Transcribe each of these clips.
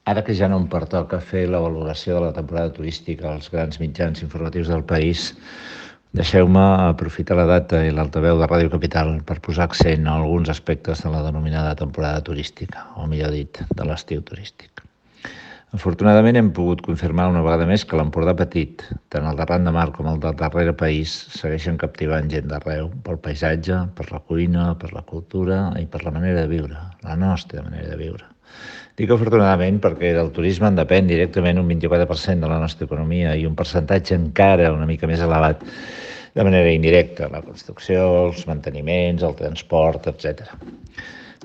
Ara que ja no em pertoca fer la valoració de la temporada turística als grans mitjans informatius del país, deixeu-me aprofitar la data i l'altaveu de Ràdio Capital per posar accent a alguns aspectes de la denominada temporada turística, o millor dit, de l'estiu turístic. Afortunadament hem pogut confirmar una vegada més que l'Empordà petit, tant el de Ran de Mar com el del darrere país, segueixen captivant gent d'arreu pel paisatge, per la cuina, per la cultura i per la manera de viure, la nostra manera de viure. Dic afortunadament perquè del turisme en depèn directament un 24% de la nostra economia i un percentatge encara una mica més elevat de manera indirecta, la construcció, els manteniments, el transport, etc.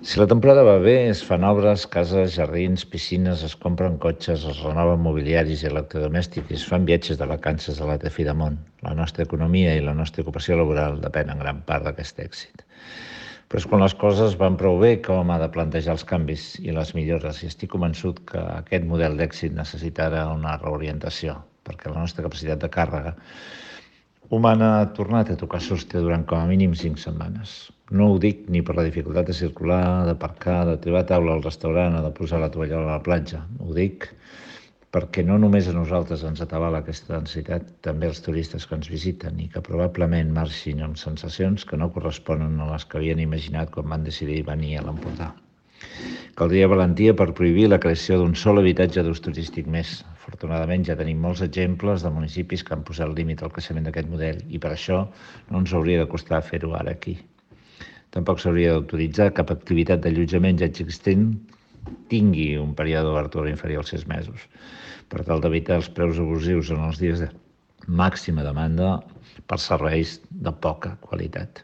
Si la temporada va bé, es fan obres, cases, jardins, piscines, es compren cotxes, es renoven mobiliaris i electrodomèstics i es fan viatges de vacances a la Tefidamont. La nostra economia i la nostra ocupació laboral depenen en gran part d'aquest èxit. Però és quan les coses van prou bé que hom ha de plantejar els canvis i les millores, i estic convençut que aquest model d'èxit necessitarà una reorientació, perquè la nostra capacitat de càrrega humana ha tornat a tocar sostre durant com a mínim 5 setmanes. No ho dic ni per la dificultat de circular, d'aparcar, de trobar taula al restaurant o de posar la tovallola a la platja. Ho dic perquè no només a nosaltres ens atabala aquesta densitat, també els turistes que ens visiten i que probablement marxin amb sensacions que no corresponen a les que havien imaginat quan van decidir venir a l'Empordà. Caldria valentia per prohibir la creació d'un sol habitatge d'ús turístic més. Afortunadament ja tenim molts exemples de municipis que han posat límit al creixement d'aquest model i per això no ens hauria de costar fer-ho ara aquí. Tampoc s'hauria d'autoritzar cap activitat d'allotjament ja existent tingui un període d'obertura inferior als 6 mesos, per tal d'evitar els preus abusius en els dies de màxima demanda per serveis de poca qualitat.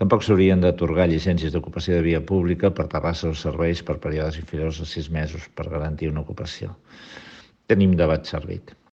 Tampoc s'haurien d'atorgar llicències d'ocupació de via pública per terrasses o serveis per períodes inferiors a 6 mesos per garantir una ocupació. Tenim debat servit.